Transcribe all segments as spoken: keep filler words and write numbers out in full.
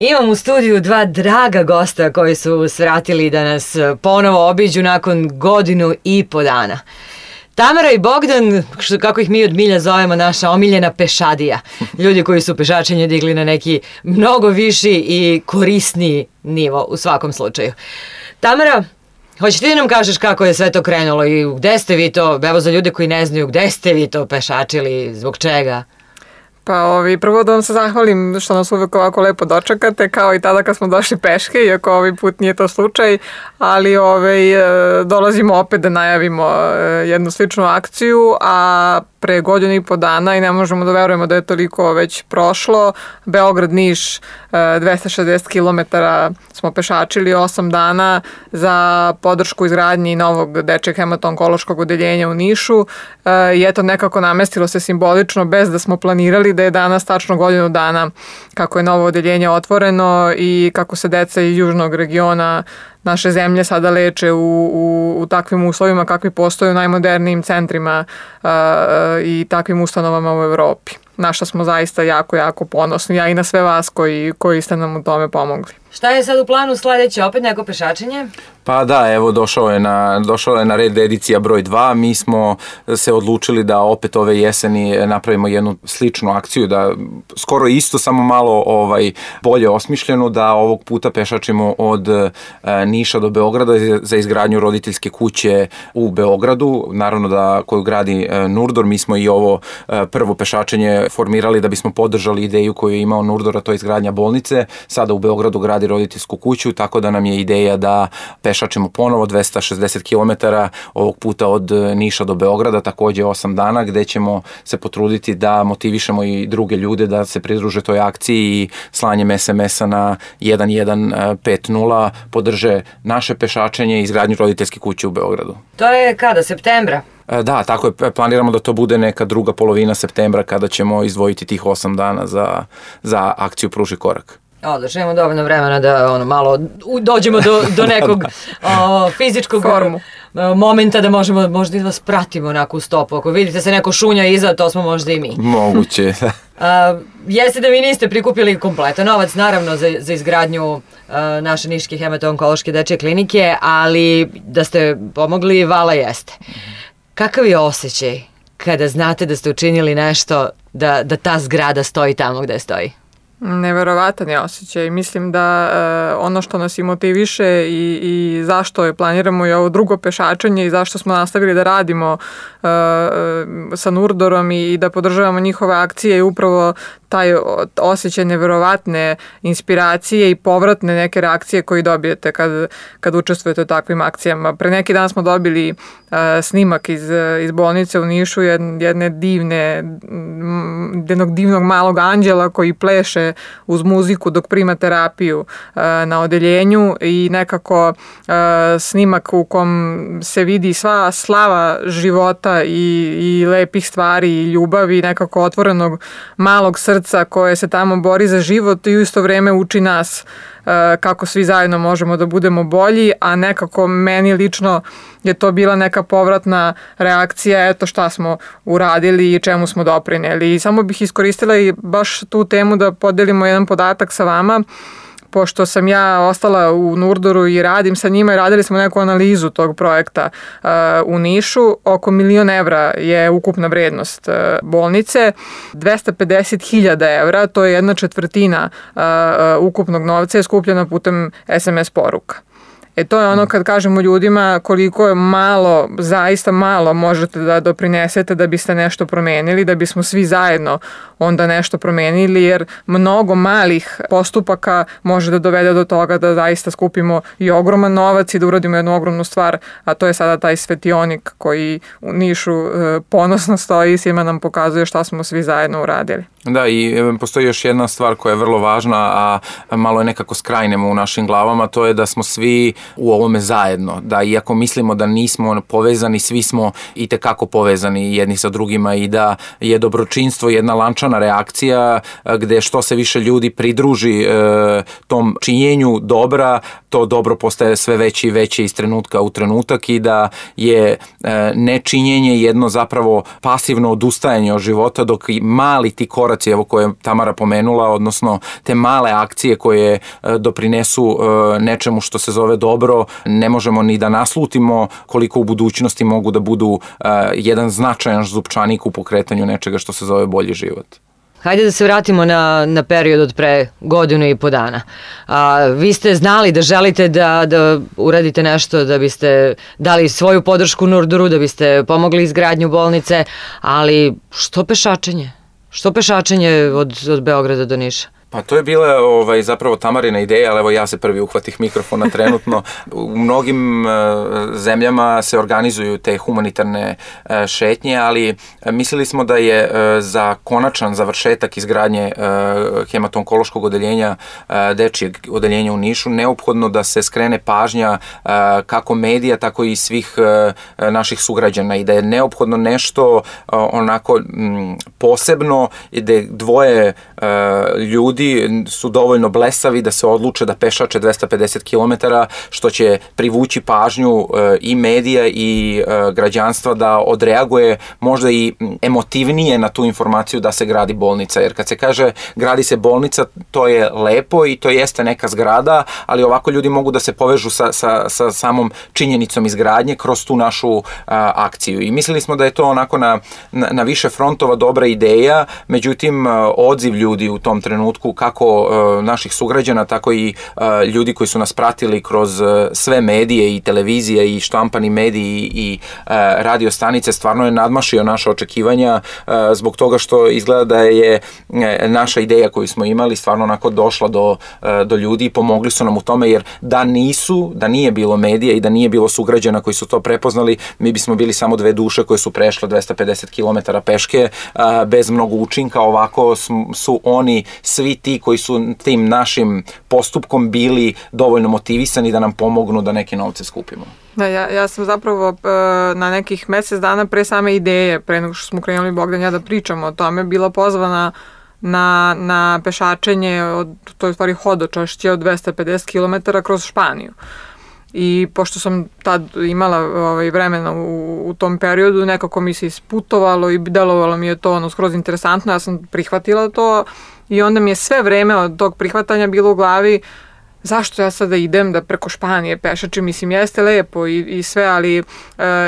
Imam u studiju dva draga gosta koji su svratili da nas ponovo obiđu nakon godinu i po dana. Tamara i Bogdan, što, kako ih mi od milja zovemo, naša omiljena pešadija. Ljudi koji su pešačenje digli na neki mnogo viši i korisniji nivo u svakom slučaju. Tamara, hoćeš ti da nam kažeš kako je sve to krenulo i gde ste vi to, evo za ljude koji ne znaju, gde ste vi to pešačili, zbog čega? Pa ovi, prvo da vam se zahvalim što nas uvek ovako lepo dočekate, kao i tada kad smo došli peške, iako ovaj put nije to slučaj, ali ovaj, dolazimo opet da najavimo jednu sličnu akciju, a pre godinu i po dana i ne možemo da verujemo da je toliko već prošlo. Beograd, Niš, dvesta šezdeset kilometara smo pešačili osam dana za podršku izgradnji novog dečjeg hemato-onkološkog odeljenja u Nišu i eto nekako namestilo se simbolično bez da smo planirali da je danas tačno godinu dana kako je novo odeljenje otvoreno i kako se deca iz južnog regiona naše zemlje sada leče u, u, u takvim uslovima kakvi postoje u najmodernijim centrima uh, i takvim ustanovama u Evropi. Na što smo zaista jako, jako ponosni, ja i na sve vas koji, koji ste nam u tome pomogli. Šta je sad u planu sledeće? Opet neko pešačenje? Pa da, evo došao je na, došao je na red edicija broj dva. Mi smo se odlučili da opet ove jeseni napravimo jednu sličnu akciju, da skoro isto, samo malo ovaj, bolje osmišljenu, da ovog puta pešačimo od e, Niša do Beograda za izgradnju roditeljske kuće u Beogradu, naravno da koju gradi e, Nurdor. Mi smo i ovo e, prvo pešačenje formirali da bismo podržali ideju koju je imao Nurdor, a to je izgradnja bolnice. Sada u Beogradu gradi roditeljsku kuću, tako da nam je ideja da pešačimo ponovo dvesta šezdeset kilometara, ovog puta od Niša do Beograda, takođe osam dana, gde ćemo se potruditi da motivišemo i druge ljude da se pridruže toj akciji i slanjem es em es a na jedan jedan pet nula podrže naše pešačenje i izgradnju roditeljske kuće u Beogradu. To je kada? Septembra? Da, tako je. Planiramo da to bude neka druga polovina septembra kada ćemo izdvojiti tih osam dana za, za akciju Pruži korak. Odlično, imamo dovoljno vremena da ono, malo dođemo do, do nekog o, fizičkog formu. Momenta da možemo možda i vas pratimo onako u stopu. Ako vidite se neko šunja iza, to smo možda i mi. Moguće. A, jeste da vi niste prikupili kompletan novac, naravno, za, za izgradnju a, naše niške hemato-onkološke dečje klinike, ali da ste pomogli, vala jeste. Kakav je osjećaj kada znate da ste učinili nešto da, da ta zgrada stoji tamo gde stoji? Neverovatan je osjećaj. Mislim da uh, ono što nas i motiviše i, i zašto je planiramo i ovo drugo pešačenje i zašto smo nastavili da radimo uh, sa Nurdorom i, i da podržavamo njihove akcije je upravo taj osjećaj neverovatne inspiracije i povratne neke reakcije koje dobijete kad, kad učestvujete u takvim akcijama. Pre neki dan smo dobili uh, snimak iz, iz bolnice u Nišu jedne divne, jednog divnog malog anđela koji pleše uz muziku dok prima terapiju uh, na odeljenju i nekako uh, snimak u kom se vidi sva slava života i, i lepih stvari i ljubavi, nekako otvorenog malog srca koje se tamo bori za život i u isto vreme uči nas uh, kako svi zajedno možemo da budemo bolji, a nekako meni lično je to bila neka povratna reakcija, eto šta smo uradili i čemu smo doprineli. I samo bih iskoristila i baš tu temu da podelimo jedan podatak sa vama, pošto sam ja ostala u Nurdoru i radim sa njima i radili smo neku analizu tog projekta uh, u Nišu. Oko milion evra je ukupna vrednost uh, bolnice, dvesta pedeset hiljada evra, to je jedna četvrtina uh, uh, ukupnog novca je skupljena putem es em es poruka. E to je ono kad kažemo ljudima koliko je malo, zaista malo možete da doprinesete da biste nešto promenili, da bismo svi zajedno onda nešto promenili, jer mnogo malih postupaka može da dovede do toga da zaista skupimo i ogroman novac i da uradimo jednu ogromnu stvar, a to je sada taj svetionik koji u Nišu ponosno stoji i svima nam pokazuje šta smo svi zajedno uradili. Da, i postoji još jedna stvar koja je vrlo važna, a malo je nekako skrajnemo u našim glavama, to je da smo svi u ovome zajedno, da iako mislimo da nismo povezani, svi smo i tekako povezani jedni sa drugima i da je dobročinstvo jedna lančana reakcija gde što se više ljudi pridruži e, tom činjenju dobra, to dobro postaje sve veće i veće iz trenutka u trenutak i da je e, nečinjenje jedno zapravo pasivno odustajanje od života, dok i mali ti koraci koraci evo koje je Tamara pomenula, odnosno te male akcije koje doprinesu nečemu što se zove dobro, ne možemo ni da naslutimo koliko u budućnosti mogu da budu jedan značajan zupčanik u pokretanju nečega što se zove bolji život. Hajde da se vratimo na, na period od pre godinu i po dana. A, vi ste znali da želite da, da uradite nešto, da biste dali svoju podršku Nurduru, da biste pomogli izgradnju bolnice, ali što pešačenje? Što pešačenje od, od Beograda do Niša? Pa to je bila ovaj, zapravo Tamarina ideja, ali evo ja se prvi uhvatih mikrofona trenutno. U mnogim e, zemljama se organizuju te humanitarne e, šetnje, ali e, mislili smo da je e, za konačan završetak izgradnje e, hematonkološkog odeljenja, e, dečijeg odeljenja u Nišu, neophodno da se skrene pažnja e, kako medija, tako i svih e, naših sugrađana i da je neophodno nešto e, onako m, posebno i da dvoje e, ljudi su dovoljno blesavi da se odluče da pešače dvesta pedeset kilometara, što će privući pažnju e, i medija i e, građanstva da odreaguje možda i emotivnije na tu informaciju da se gradi bolnica. Jer kad se kaže gradi se bolnica, to je lepo i to jeste neka zgrada, ali ovako ljudi mogu da se povežu sa, sa, sa samom činjenicom izgradnje kroz tu našu a, akciju. I mislili smo da je to onako na, na, na više frontova dobra ideja, međutim odziv ljudi u tom trenutku kako uh, naših sugrađana, tako i uh, ljudi koji su nas pratili kroz uh, sve medije i televizije i štampani mediji i uh, radio stanice stvarno je nadmašio naše očekivanja uh, zbog toga što izgleda da je uh, naša ideja koju smo imali stvarno onako došla do, uh, do ljudi i pomogli su nam u tome, jer da nisu, da nije bilo medija i da nije bilo sugrađana koji su to prepoznali, mi bismo bili samo dve duše koje su prešle dvesta pedeset kilometara peške uh, bez mnogo učinka. Ovako su oni svi ti koji su tim našim postupkom bili dovoljno motivisani da nam pomognu da neke novce skupimo. Da, ja, ja sam zapravo na nekih mesec dana pre same ideje, pre nego što smo krenuli Bogdan ja da pričamo o tome, bila pozvana na, na pešačenje, od, to je u stvari hodočašće od dvesta pedeset kilometara kroz Španiju. I pošto sam tad imala ovaj, vremena u, u tom periodu, nekako mi se isputovalo i delovalo mi je to ono skroz interesantno, ja sam prihvatila to i onda mi je sve vreme od tog prihvatanja bilo u glavi zašto ja sada idem da preko Španije pešačim, mislim jeste lepo i, i sve, ali e,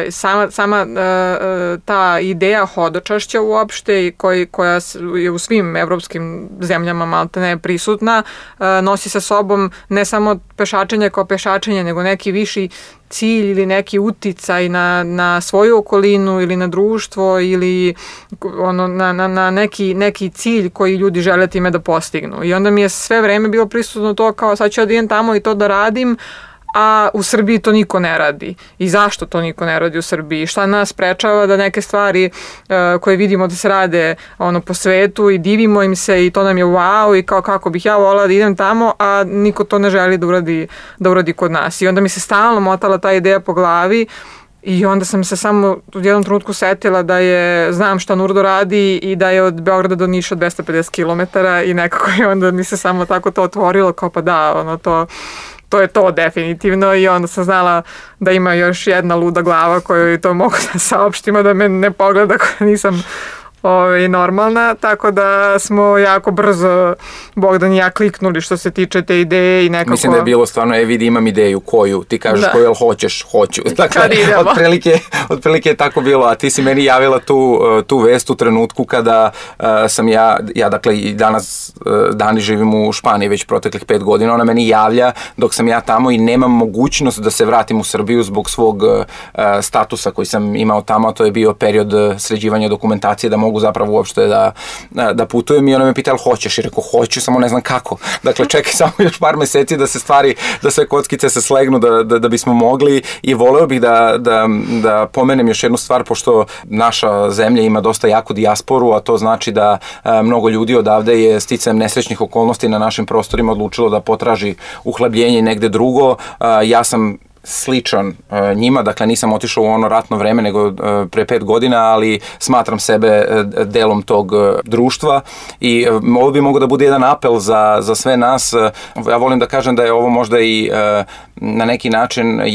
sama, sama e, ta ideja hodočašća uopšte koji, koja je u svim evropskim zemljama maltene prisutna, e, nosi sa sobom ne samo pešačenje kao pešačenje, nego neki viši cilj ili neki uticaj na, na svoju okolinu ili na društvo ili ono, na, na, na neki, neki cilj koji ljudi žele time da postignu. I onda mi je sve vreme bilo prisutno to kao sad ću da idem tamo i to da radim, a u Srbiji to niko ne radi. I zašto to niko ne radi u Srbiji? Šta nas sprečava da neke stvari uh, koje vidimo da se rade ono, po svetu i divimo im se i to nam je wow i kao kako bih ja volala da idem tamo, a niko to ne želi da uradi, da uradi kod nas. I onda mi se stalno motala ta ideja po glavi i onda sam se samo u jednom trenutku setila da je, znam šta Nurdo radi i da je od Beograda do Niša dvesta pedeset kilometara i nekako je onda mi se samo tako to otvorilo kao pa da, ono to to je to definitivno i onda sam znala da ima još jedna luda glava koju to mogu da saopštimo, da me ne pogleda koja nisam ovaj, normalna, tako da smo jako brzo Bogdan i ja kliknuli što se tiče te ideje i nekako... Mislim da je bilo stvarno, e vidi imam ideju koju, ti kažeš da. Koju, jel hoćeš, hoću. Dakle, otprilike, otprilike je tako bilo, a ti si meni javila tu, tu vest u trenutku kada uh, sam ja, ja dakle i danas uh, dani živim u Španiji već proteklih pet godina, ona meni javlja dok sam ja tamo i nemam mogućnost da se vratim u Srbiju zbog svog uh, statusa koji sam imao tamo, a to je bio period sređivanja dokumentacije da mogu zapravo uopšte da, da putujem i ona me pita, ali hoćeš? I rekao, hoću, samo ne znam kako. Dakle, čekaj samo još par meseci da se stvari, da sve kockice se slegnu, da, da, da bismo mogli i voleo bih da, da, da pomenem još jednu stvar, pošto naša zemlja ima dosta jaku dijasporu, a to znači da a, mnogo ljudi odavde je sticajem nesrećnih okolnosti na našim prostorima odlučilo da potraži uhlebljenje negde drugo. A, ja sam sličan uh, njima, dakle nisam otišao u ono ratno vreme nego uh, pre pet godina, ali smatram sebe uh, delom tog uh, društva i uh, ovo bi mogao da bude jedan apel za, za sve nas. Uh, ja volim da kažem da je ovo možda i uh, na neki način uh,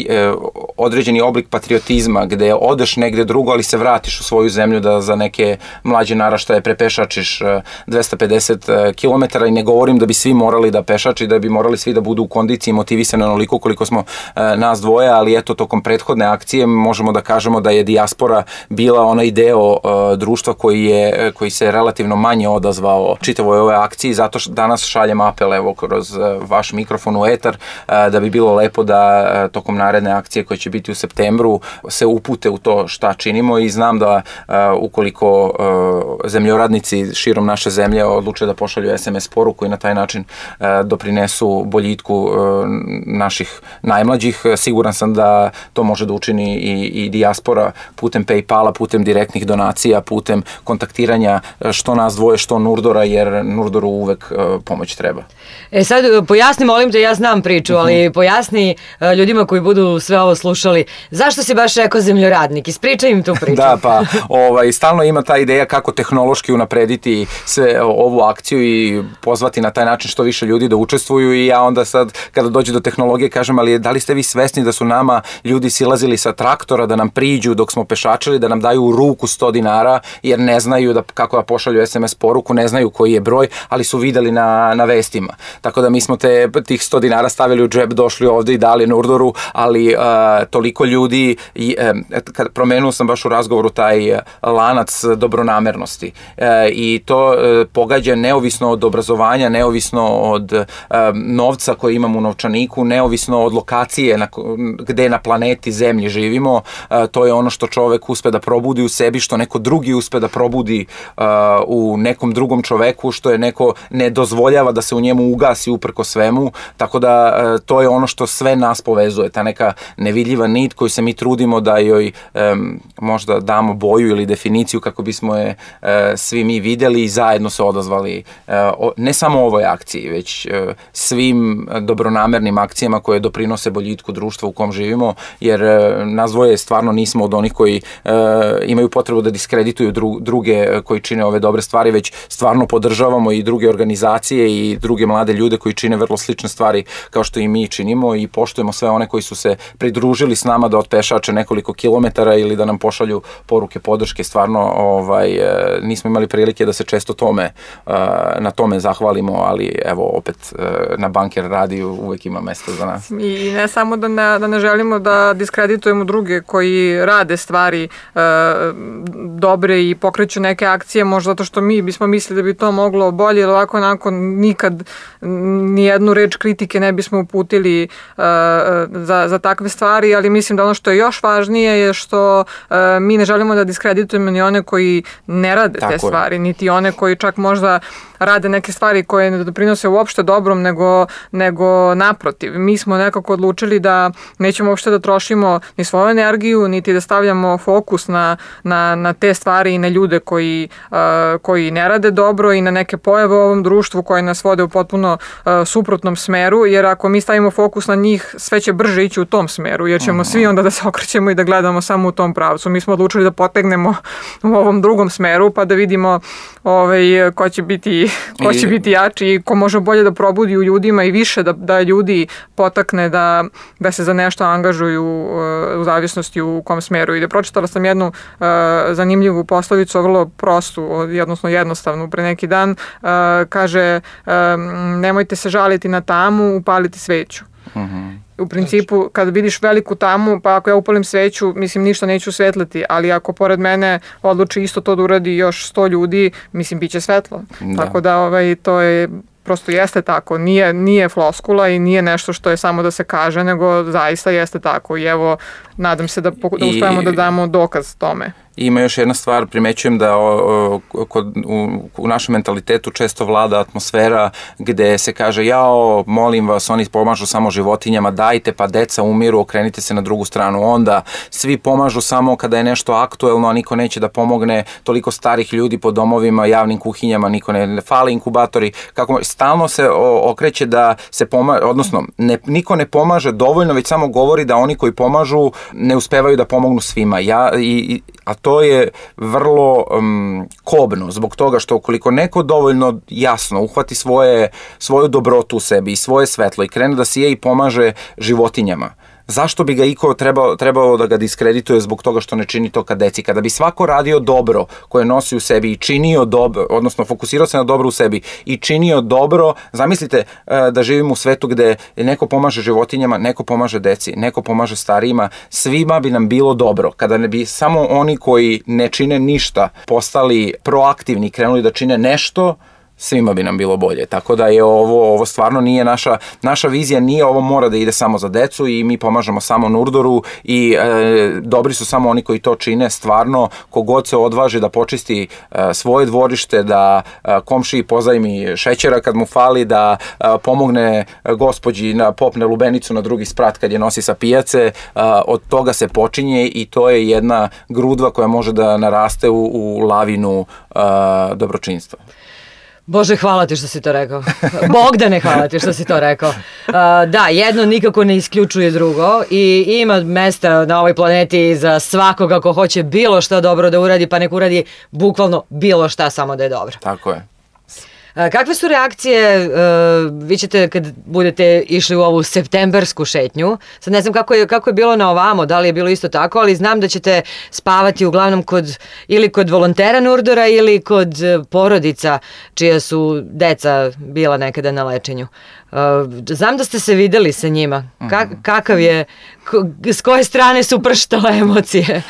određeni oblik patriotizma gde odeš negde drugo, ali se vratiš u svoju zemlju da za neke mlađe naraštaje prepešačiš dvesta pedeset kilometara i ne govorim da bi svi morali da pešači, da bi morali svi da budu u kondiciji motivisani onoliko koliko smo nas dvoje, ali eto tokom prethodne akcije možemo da kažemo da je dijaspora bila onaj deo društva koji, je, koji se relativno manje odazvao čitavoj ove akciji, zato što danas šaljem apel evo kroz vaš mikrofon u etar da bi bilo lepo da tokom naredne akcije koje će biti u septembru se upute u to šta činimo i znam da ukoliko zemljoradnici širom naše zemlje odluče da pošalju es em es poruku i na taj način doprinesu boljitku naših najmlađih, siguran sam da to može da učini i, i dijaspora putem PayPala, putem direktnih donacija, putem kontaktiranja što nas dvoje, što Nurdora, jer Nurdoru uvek pomoć treba. E sad, pojasni, molim te, ja znam priču, ali pojasni ljudima koji budu sve ovo slušali, zašto si baš rekao zemljoradnik? Ispričaj im tu priču. Da, pa ovaj, stalno ima ta ideja kako tehnološki unaprediti sve ovu akciju i pozvati na taj način što više ljudi da učestvuju i ja onda sad kada dođe do tehnologije kažem, ali da li ste vi svesni da su nama ljudi silazili sa traktora da nam priđu dok smo pešačili, da nam daju u ruku sto dinara jer ne znaju da, kako da pošalju es em es poruku, ne znaju koji je broj, ali su videli na, na vestima. Tako da mi smo te, tih sto dinara stavili u džep, došli ovde i dali Nurdoru, ali uh, toliko ljudi, i, um, kad promenuo sam baš u razgovoru taj lanac dobronamernosti uh, i to uh, pogađa neovisno od obrazovanja, neovisno od um, novca koji imamo u novčaniku, neovisno od lokacije na, gde na planeti Zemlji živimo, uh, to je ono što čovek uspe da probudi u sebi, što neko drugi uspe da probudi uh, u nekom drugom čoveku, što je neko ne dozvoljava da se u njemu ugasi uprko svemu, tako da uh, to je ono što sve nas povezuje, ta neka nevidljiva nit koju se mi trudimo da joj um, možda damo boju ili definiciju kako bismo je uh, svi mi videli i zajedno se odazvali uh, o, ne samo ovoj akciji, već uh, svim dobronamernim akcijama koje doprinose boljitku društva u kom živimo, jer uh, nas dvoje stvarno nismo od onih koji uh, imaju potrebu da diskredituju dru, druge koji čine ove dobre stvari, već stvarno podržavamo i druge organizacije i druge mlade ljude koji čine vrlo slične stvari kao što i mi činimo i poštujemo sve one koji su se pridružili s nama da otpešače nekoliko kilometara ili da nam pošalju poruke podrške. Stvarno ovaj, nismo imali prilike da se često tome, na tome zahvalimo, ali evo opet na Banker radiju uvek ima mesta za nas. I ne samo da ne, da ne želimo da diskreditujemo druge koji rade stvari e, dobre i pokreću neke akcije, možda zato što mi bismo mislili da bi to moglo bolje, ili ovako onako nikad nijednu reč kritike ne bismo uputili e, za, za takve stvari, ali mislim da ono što je još važnije je što e, mi ne želimo da diskreditujemo ni one koji ne rade Tako te stvari, je. Niti one koji čak možda rade neke stvari koje ne doprinose uopšte dobrom, nego, nego naprotiv. Mi smo nekako odlučili da nećemo uopšte da trošimo ni svoju energiju, niti da stavljamo fokus na, na, na te stvari i na ljude koji, uh, koji ne rade dobro i na neke pojave u ovom društvu koje nas vode u potpuno uh, suprotnom smeru, jer ako mi stavimo fokus na njih, sve će brže ići u tom smeru, jer ćemo uh-huh. svi onda da se okrećemo i da gledamo samo u tom pravcu. Mi smo odlučili da potegnemo u ovom drugom smeru, pa da vidimo ovaj, ko će biti ko će biti jači i ko može bolje da probudi u ljudima i više da, da ljudi potakne da, da se za nešto angažuju uh, u zavisnosti u kom smeru. I da pročitala sam jednu uh, zanimljivu poslovicu, vrlo prostu, odnosno jednostavnu, pre neki dan, uh, kaže um, nemojte se žaliti na tamu, upaliti sveću. Uh-huh. U principu, kada vidiš veliku tamu, pa ako ja upalim sveću, mislim, ništa neću svetliti, ali ako pored mene odluči isto to da uradi još sto ljudi, mislim, bit će svetlo. Da. Tako da ovaj, to je prosto jeste tako, nije, nije floskula i nije nešto što je samo da se kaže, nego zaista jeste tako i evo, nadam se da, da uspijemo da damo dokaz tome. Ima još jedna stvar, primećujem da o, o, kod, u, u našem mentalitetu često vlada atmosfera gde se kaže jao, molim vas, oni pomažu samo životinjama, dajte pa deca umiru, okrenite se na drugu stranu. Onda svi pomažu samo kada je nešto aktuelno, a niko neće da pomogne, toliko starih ljudi po domovima, javnim kuhinjama, niko ne, ne fali inkubatori. Kako, stalno se o, okreće da se pomaže, odnosno ne, niko ne pomaže dovoljno, već samo govori da oni koji pomažu ne uspevaju da pomognu svima. Ja, i, a to je vrlo um, kobno zbog toga što ukoliko neko dovoljno jasno uhvati svoje, svoju dobrotu u sebi i svoje svetlo i krene da sije i pomaže životinjama, zašto bi ga iko trebao, trebao da ga diskredituje zbog toga što ne čini to ka deci? Kada bi svako radio dobro koje nosi u sebi i činio dobro, odnosno fokusirao se na dobro u sebi i činio dobro, zamislite da živimo u svetu gde neko pomaže životinjama, neko pomaže deci, neko pomaže starijima, svima bi nam bilo dobro. Kada ne bi samo oni koji ne čine ništa postali proaktivni, krenuli da čine nešto, svima bi nam bilo bolje. Tako da je ovo, ovo stvarno nije naša, naša vizija, nije ovo mora da ide samo za decu i mi pomažemo samo Nurdoru i e, dobri su samo oni koji to čine. Stvarno, kogod se odvaži da počisti e, svoje dvorište, da e, komšiji pozajmi šećera kad mu fali, da e, pomogne gospođi na popne lubenicu na drugi sprat kad je nosi sa pijace, e, od toga se počinje i to je jedna grudva koja može da naraste u, u lavinu e, dobročinstva. Bože, hvala ti što si to rekao. Bogdane, hvala ti što si to rekao. Uh, da, jedno nikako ne isključuje drugo i ima mesta na ovoj planeti za svakoga ko hoće bilo šta dobro da uradi, pa nek uradi bukvalno bilo šta, samo da je dobro. Tako je. Kakve su reakcije, uh, vi ćete kad budete išli u ovu septembersku šetnju, sad ne znam kako je, kako je bilo na ovamo, da li je bilo isto tako, ali znam da ćete spavati uglavnom kod, ili kod volontera Nurdora ili kod porodica čija su deca bila nekada na lečenju. Uh, znam da ste se videli sa njima. Ka, kakav je, ko, s koje strane su prštale emocije?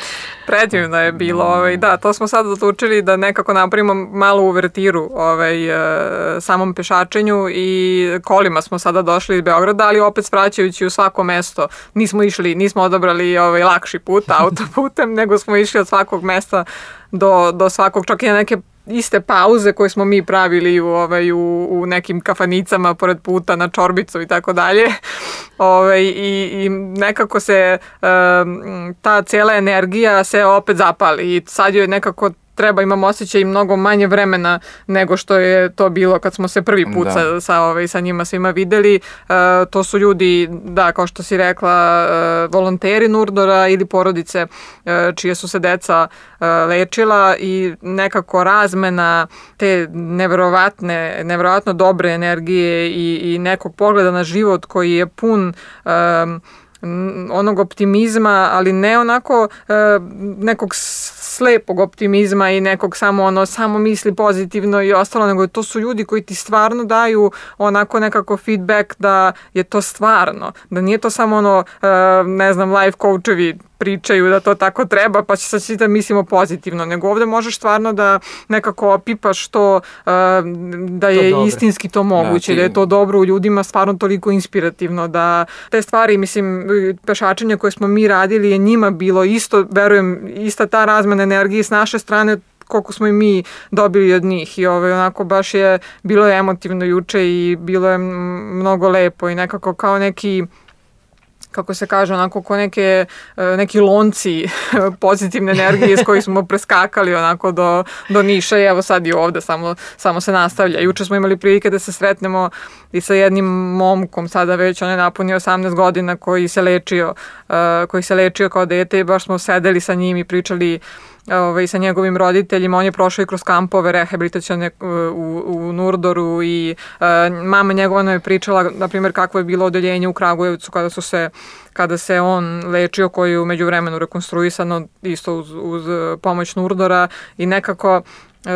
Predivno je bilo, ovaj, da, to smo sad odlučili da nekako napravimo malu uvertiru ovaj, samom pešačenju i kolima smo sada došli iz Beograda, ali opet svraćajući u svako mesto. Nismo išli, nismo odabrali ovaj, lakši put autoputem, nego smo išli od svakog mesta do, do svakog, čak i na neke iste pauze koje smo mi pravili u, ovaj, u, u nekim kafanicama pored puta na čorbicu i tako dalje. Ovaj, i, i nekako se um, ta cijela energija se opet zapali i sad joj nekako treba, imam osjećaj, mnogo manje vremena nego što je to bilo kad smo se prvi put sa, sa, ovaj, sa njima svima videli. Uh, to su ljudi, da, kao što si rekla, uh, volonteri Nurdora ili porodice uh, čije su se deca uh, lečila i nekako razmena te neverovatne, neverovatno dobre energije i, i nekog pogleda na život koji je pun um, onog optimizma, ali ne onako uh, nekog slepog optimizma i nekog samo ono samo misli pozitivno i ostalo, nego to su ljudi koji ti stvarno daju onako nekako feedback da je to stvarno, da nije to samo ono uh, ne znam, life coachevi pričaju da to tako treba, pa će sad svi da mislimo pozitivno, nego ovde možeš stvarno da nekako opipaš to, uh, da je to istinski to moguće, da, ti... da je to dobro u ljudima, stvarno toliko inspirativno, da te stvari, mislim, pešačenje koje smo mi radili je njima bilo isto, verujem, ista ta razmena energije s naše strane koliko smo i mi dobili od njih i ovaj, onako baš je bilo je emotivno juče i bilo je mnogo lepo i nekako kao neki, kako se kaže, onako ko neke, neki lonci pozitivne energije s kojih smo preskakali onako do, do Niša i evo sad i ovde samo, samo se nastavlja. Juče smo imali prilike da se sretnemo i sa jednim momkom, sada već on je napunio osamnaest godina, koji se lečio, uh, koji se lečio kao dete i baš smo sedeli sa njim i pričali Ove, sa njegovim roditeljima. On je prošao i kroz kampove rehabilitacione u, u Nurdoru i uh, mama njegova nam je pričala, na primjer, kakvo je bilo odeljenje u Kragujevcu kada su se kada se on lečio, koji je u međuvremenu rekonstruisano isto uz, uz pomoć Nurdora i nekako uh,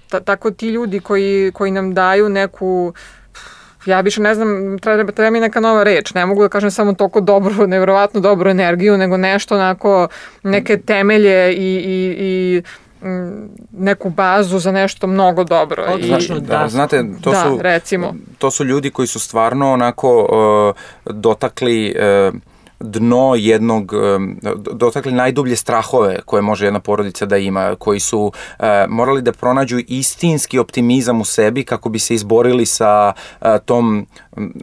ta, tako ti ljudi koji, koji nam daju neku, ja više ne znam, treba, treba mi neka nova reč, ne mogu da kažem samo toliko dobro, nevjerovatno dobru energiju, nego nešto onako, neke temelje i, i, i neku bazu za nešto mnogo dobro. Odlično, I, da. da. Znate, to, da, su, recimo. to su ljudi koji su stvarno onako uh, dotakli uh, dno jednog, dotakli najdublje strahove koje može jedna porodica da ima, koji su e, morali da pronađu istinski optimizam u sebi kako bi se izborili sa e, tom,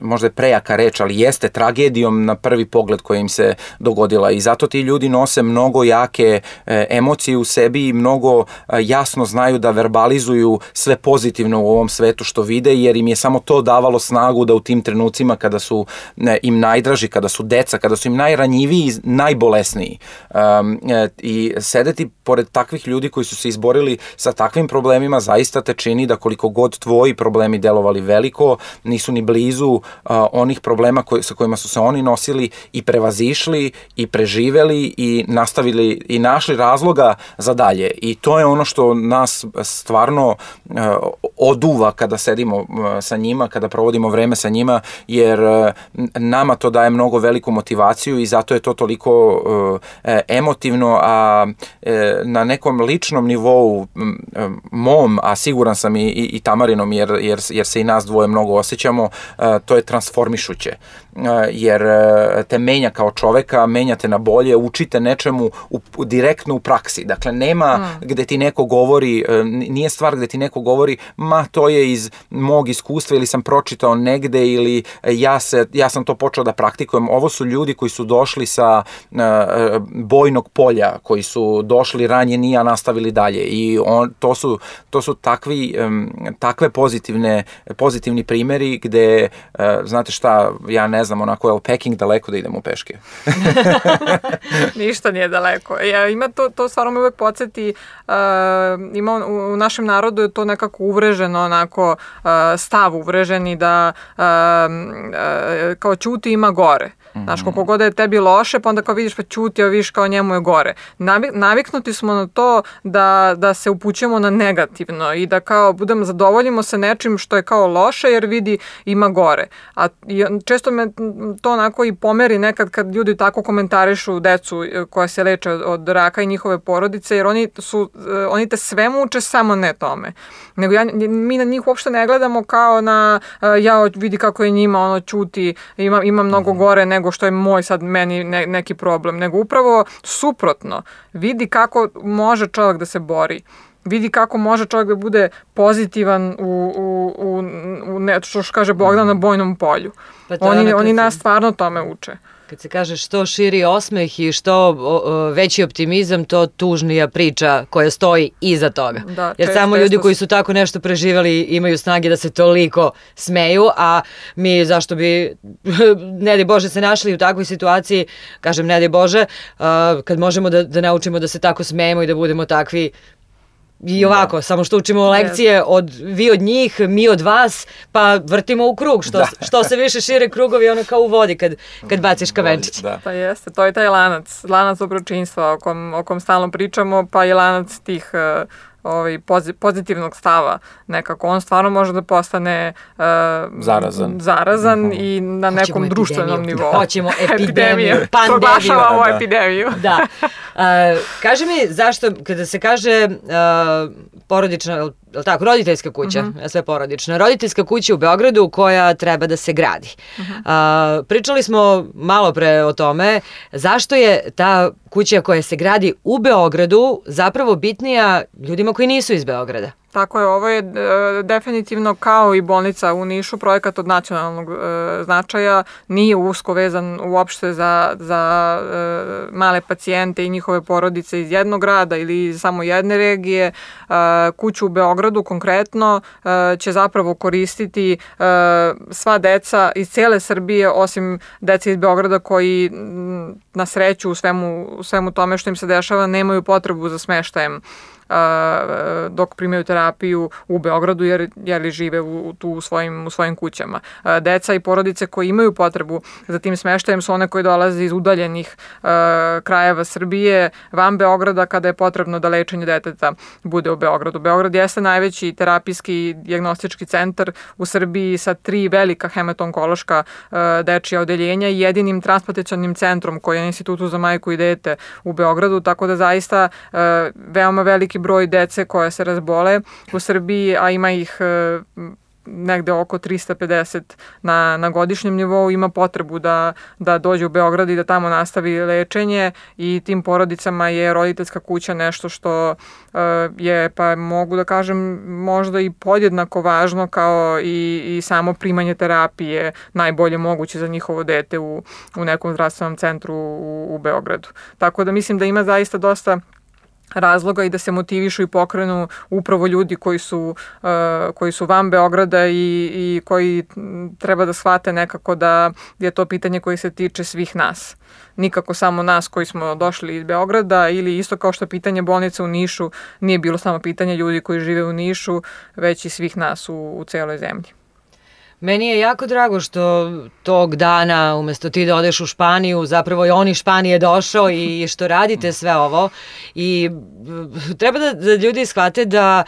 možda je prejaka reč, ali jeste tragedijom na prvi pogled koja im se dogodila i zato ti ljudi nose mnogo jake e, emocije u sebi i mnogo e, jasno znaju da verbalizuju sve pozitivno u ovom svetu što vide, jer im je samo to davalo snagu da u tim trenucima kada su ne, im najdraži, kada su deca, kada su su im najranjiviji, najbolesniji. Um, I sedeti pored takvih ljudi koji su se izborili sa takvim problemima zaista te čini da koliko god tvoji problemi delovali veliko, nisu ni blizu uh, onih problema koji, sa kojima su se oni nosili i prevazišli i preživeli i nastavili i našli razloga za dalje. I to je ono što nas stvarno uh, oduva kada sedimo uh, sa njima, kada provodimo vreme sa njima, jer uh, nama to daje mnogo veliku motivaciju i zato je to toliko uh, emotivno, a uh, na nekom ličnom nivou uh, mom, a siguran sam i, i, i Tamarinom, jer, jer, jer se i nas dvoje mnogo osjećamo, uh, to je transformišuće. Uh, jer uh, te menja kao čoveka, menjate na bolje, učite nečemu u, u, direktno u praksi. Dakle, nema mm. gde ti neko govori, uh, nije stvar gde ti neko govori, ma to je iz mog iskustva ili sam pročitao negde ili ja, se, ja sam to počeo da praktikujem. Ovo su ljudi koji su došli sa uh, bojnog polja, koji su došli ranjeni, a nastavili dalje. I on, to su, to su takvi, um, takve pozitivne, pozitivni primjeri gde, uh, znate šta, ja ne znam, onako je li Peking daleko da idemo peške? Ništa nije daleko. Ja, ima to, to stvarno me uvek podsjeti, uh, ima u, u našem narodu je to nekako uvreženo, onako uh, stav uvreženi da uh, uh, kao ćuti ima gore. Znaš, koliko god je tebi loše, pa onda kao vidiš pa ćuti, a vidiš kao njemu je gore. Navik, naviknuti smo na to da, da se upućujemo na negativno i da kao budemo, zadovoljimo se nečim što je kao loše jer vidi ima gore. A često me to onako i pomeri nekad kad ljudi tako komentarišu decu koja se leče od, od raka i njihove porodice, jer oni, su, oni te sve muče, samo ne tome. Nego ja, mi na njih uopšte ne gledamo kao na ja vidi kako je njima ono ćuti, ima, ima mnogo gore nego što je moj sad meni ne, neki problem, nego upravo suprotno. Vidi kako može čovjek da se bori. Vidi kako može čovjek da bude pozitivan u, u, u, u ne, što kaže Bogdan, na bojnom polju. Pa oni, oni nas stvarno tome uče. Kad se kaže što širi osmeh i što o, veći optimizam, to tužnija priča koja stoji iza toga. Da, jer samo ljudi koji su tako nešto preživali imaju snage da se toliko smeju, a mi zašto bi, ne daj Bože, se našli u takvoj situaciji, kažem ne daj Bože, a, kad možemo da, da naučimo da se tako smejemo i da budemo takvi i ovako, da. Samo što učimo lekcije od, vi od njih, mi od vas, pa vrtimo u krug, što, što se više šire krugovi, ono kao u vodi kad, kad baciš kamenčić. Da. Pa jeste, to je taj lanac, lanac dobročinstva o kom, o kom stalno pričamo, pa i lanac tih uh, ovaj, pozitivnog stava nekako. On stvarno može da postane uh, zarazan, zarazan uh-huh. i na Hoćemo nekom epidemiju. društvenom nivou. Hoćemo epidemiju, pandemiju. Proglašavamo da. epidemiju. Da. Uh, kaži mi zašto, kada se kaže uh, porodična, tako, roditeljska kuća, uh-huh. sve porodično, roditeljska kuća u Beogradu koja treba da se gradi. Uh-huh. Uh, pričali smo malo pre o tome zašto je ta kuća koja se gradi u Beogradu zapravo bitnija ljudima koji nisu iz Beograda. Tako je, ovo je e, definitivno kao i bolnica u Nišu, projekat od nacionalnog e, značaja, nije usko vezan uopšte za, za e, male pacijente i njihove porodice iz jednog grada ili iz samo jedne regije. E, kuću u Beogradu konkretno e, će zapravo koristiti e, sva deca iz cele Srbije, osim dece iz Beograda koji m, na sreću u svemu, u svemu tome što im se dešava nemaju potrebu za smeštajem dok primaju terapiju u Beogradu jer, jer žive u, tu u svojim, u svojim kućama. Deca i porodice koji imaju potrebu za tim smeštajem su one koji dolaze iz udaljenih uh, krajeva Srbije van Beograda kada je potrebno da lečenje deteta bude u Beogradu. Beograd jeste najveći terapijski dijagnostički centar u Srbiji sa tri velika hematonkološka uh, dečija odeljenja i jedinim transplantacionim centrom koji je na Institutu za majku i dete u Beogradu, tako da zaista uh, veoma veliki broj dece koje se razbole u Srbiji, a ima ih e, negde oko trista pedeset na, na godišnjem nivou, ima potrebu da, da dođe u Beograd i da tamo nastavi lečenje i tim porodicama je roditeljska kuća nešto što e, je, pa mogu da kažem, možda i podjednako važno kao i, i samo primanje terapije najbolje moguće za njihovo dete u, u nekom zdravstvenom centru u, u Beogradu. Tako da mislim da ima zaista dosta razloga i da se motivišu i pokrenu upravo ljudi koji su, uh, koji su van Beograda i, i koji treba da shvate nekako da je to pitanje koje se tiče svih nas. Nikako samo nas koji smo došli iz Beograda, ili isto kao što pitanje bolnica u Nišu nije bilo samo pitanje ljudi koji žive u Nišu, već i svih nas u, u celoj zemlji. Meni je jako drago što tog dana, umesto ti da odeš u Španiju, zapravo je on iz Španije došao i što radite sve ovo. I treba da, da ljudi shvate da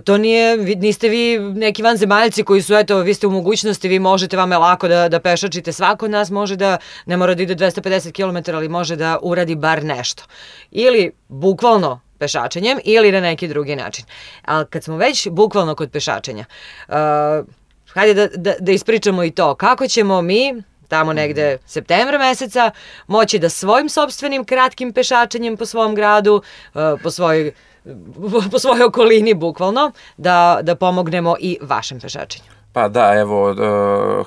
to nije, niste vi neki vanzemaljci koji su, eto, vi ste u mogućnosti, vi možete, vam je lako da, da pešačite. Svako od nas može da, ne mora da ide dvesta pedeset kilometara, ali može da uradi bar nešto. Ili bukvalno pešačenjem ili na neki drugi način. Ali kad smo već bukvalno kod pešačenja, uh, hajde da, da, da ispričamo i to. Kako ćemo mi, tamo negde septembra meseca, moći da svojim sopstvenim kratkim pešačenjem po svom gradu, po svojoj, po svojoj okolini bukvalno, da, da pomognemo i vašem pešačenju? Pa da, evo,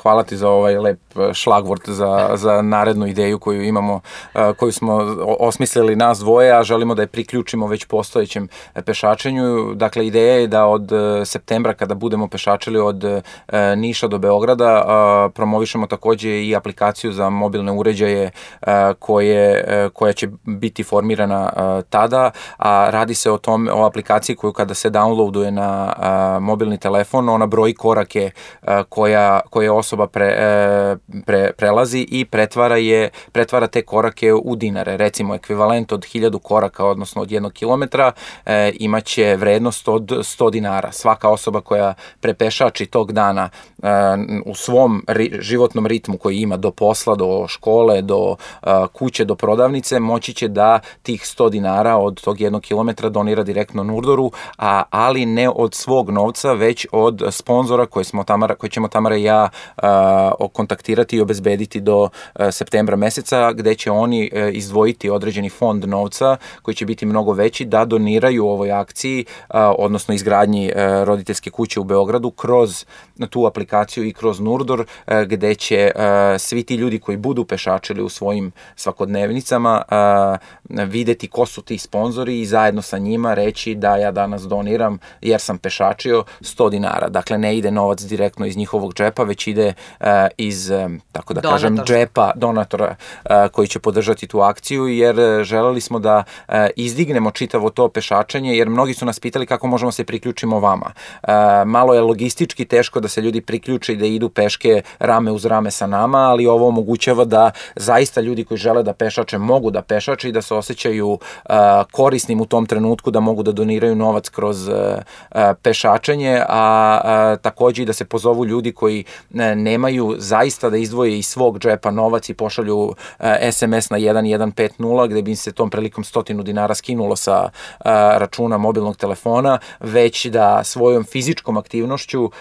hvala ti za ovaj lep šlagvort za, za narednu ideju koju imamo, koju smo osmislili nas dvoje, a želimo da je priključimo već postojećem pešačenju. Dakle, ideja je da od septembra, kada budemo pešačili od Niša do Beograda, promovišemo takođe i aplikaciju za mobilne uređaje koje, koja će biti formirana tada, a radi se o tom, o aplikaciji koju kada se downloaduje na mobilni telefon, ona broji korake koja, koje osoba pre, pre, prelazi i pretvara, je, pretvara te korake u dinare. Recimo, ekvivalent od hiljadu koraka, odnosno od jednog kilometra, e, imaće vrednost od sto dinara. Svaka osoba koja prepešači tog dana e, u svom ri, životnom ritmu koji ima do posla, do škole, do e, kuće, do prodavnice, moći će da tih sto dinara od tog jednog kilometra donira direktno Nurdoru, a, ali ne od svog novca, već od sponzora koje smo Tamara, koje ćemo Tamara i ja uh, kontaktirati i obezbediti do uh, septembra meseca, gde će oni uh, izdvojiti određeni fond novca koji će biti mnogo veći da doniraju ovoj akciji, uh, odnosno izgradnji uh, roditeljske kuće u Beogradu kroz tu aplikaciju i kroz Nurdor, uh, gde će uh, svi ti ljudi koji budu pešačili u svojim svakodnevnicama uh, videti ko su ti sponzori i zajedno sa njima reći da ja danas doniram, jer sam pešačio, sto dinara. Dakle, ne ide novac direktno iz njihovog džepa, već ide uh, iz, um, tako da Donator. kažem, džepa donatora uh, koji će podržati tu akciju, jer uh, želeli smo da uh, izdignemo čitavo to pešačenje, jer mnogi su nas pitali kako možemo se priključimo vama. Uh, malo je logistički teško da se ljudi priključe i da idu peške rame uz rame sa nama, ali ovo omogućava da zaista ljudi koji žele da pešače mogu da pešače i da se osjećaju uh, korisnim u tom trenutku, da mogu da doniraju novac kroz uh, uh, pešačenje, a uh, takođe i da se pozovu ljudi koji ne, nemaju zaista da izdvoje iz svog džepa novac i pošalju uh, es em es na jedan jedan pet nula, gde bi se tom prilikom stotinu dinara skinulo sa uh, računa mobilnog telefona, već da svojom fizičkom aktivnošću, uh,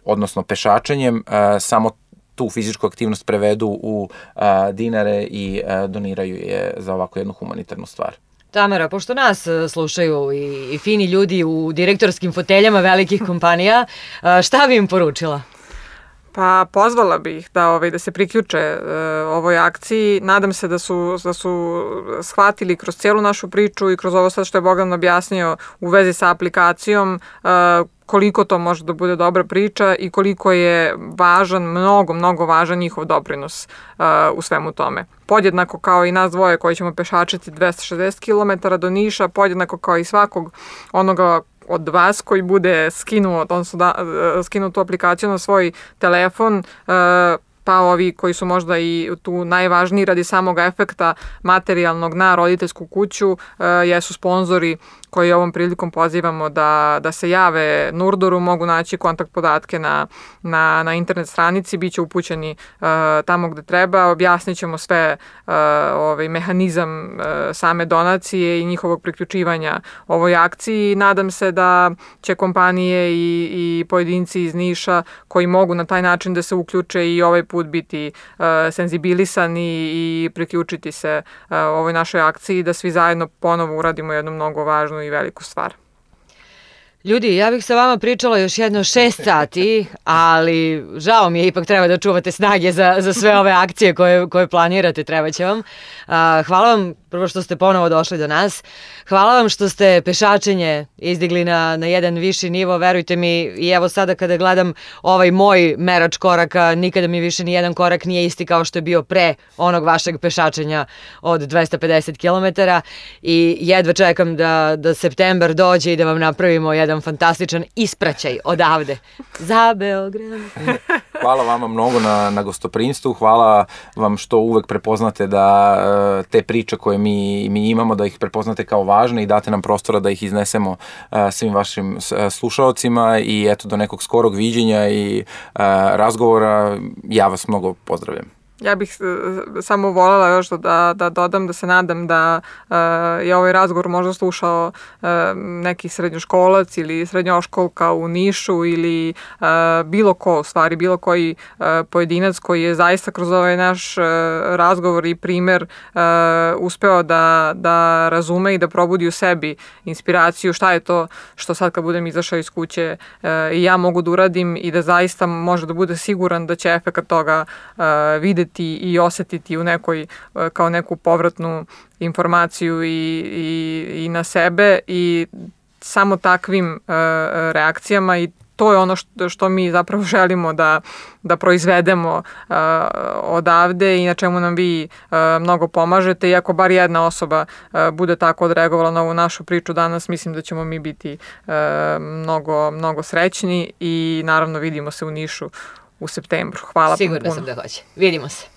odnosno pešačenjem, uh, samo tu fizičku aktivnost prevedu u uh, dinare i uh, doniraju je za ovako jednu humanitarnu stvar. Tamara, pošto nas slušaju i, i fini ljudi u direktorskim foteljama velikih kompanija, šta bi im poručila? Pa pozvala bih ih da, ovaj, da se priključe e, ovoj akciji. Nadam se da su, da su shvatili kroz cijelu našu priču i kroz ovo sad što je Bogdan objasnio u vezi sa aplikacijom, e, koliko to može da bude dobra priča i koliko je važan, mnogo, mnogo važan njihov doprinos uh, u svemu tome. Podjednako kao i nas dvoje koji ćemo pešačiti dvesta šezdeset kilometara do Niša, podjednako kao i svakog onoga od vas koji bude skinuo, odnosno da, skinuo tu aplikaciju na svoj telefon, uh, pa ovi koji su možda i tu najvažniji radi samog efekta materijalnog na roditeljsku kuću, uh, jesu sponzori koji ovom prilikom pozivamo da, da se jave Nurdoru, mogu naći kontakt podatke na, na, na internet stranici, bit će upućeni uh, tamo gde treba, objasnit ćemo sve uh, ovaj, mehanizam uh, same donacije i njihovog priključivanja ovoj akciji. Nadam se da će kompanije i, i pojedinci iz Niša koji mogu na taj način da se uključe i ovaj put biti uh, senzibilisani i priključiti se uh, ovoj našoj akciji, da svi zajedno ponovo uradimo jednu mnogo važnu i veliku stvar. Ljudi, ja bih sa vama pričala još jedno šest sati, ali žao mi je, ipak treba da čuvate snage za, za sve ove akcije koje, koje planirate, treba će vam. A, hvala vam prvo što ste ponovo došli do nas. Hvala vam što ste pešačenje izdigli na, na jedan viši nivo, verujte mi, i evo sada kada gledam ovaj moj merač koraka, nikada mi više ni jedan korak nije isti kao što je bio pre onog vašeg pešačenja od dvesta pedeset kilometara i jedva čekam da, da septembar dođe i da vam napravimo jedan fantastičan ispraćaj odavde za Beograd. Hvala vama mnogo na, na gostoprimstvu, hvala vam što uvek prepoznate da te priče koje mi, mi imamo, da ih prepoznate kao važne i date nam prostora da ih iznesemo uh, svim vašim uh, slušaocima i eto do nekog skorog viđenja i uh, razgovora. Ja vas mnogo pozdravljam. Ja bih samo voljela još da, da dodam da se nadam da uh, je ovaj razgovor možda slušao uh, neki srednjoškolac ili srednjoškolka u Nišu ili uh, bilo ko, u stvari bilo koji uh, pojedinac koji je zaista kroz ovaj naš uh, razgovor i primer uh, uspeo da, da razume i da probudi u sebi inspiraciju šta je to što sad kad budem izašao iz kuće uh, i ja mogu da uradim i da zaista može da bude siguran da će efekat toga uh, videti i osetiti u nekoj, kao neku povratnu informaciju i, i, i na sebe i samo takvim uh, reakcijama i to je ono što, što mi zapravo želimo da, da proizvedemo uh, odavde i na čemu nam vi uh, mnogo pomažete i ako bar jedna osoba uh, bude tako odreagovala na ovu našu priču danas, mislim da ćemo mi biti uh, mnogo, mnogo srećni i naravno vidimo se u Nišu u septembru. Hvala. Sigurna sam da hoće. Vidimo se.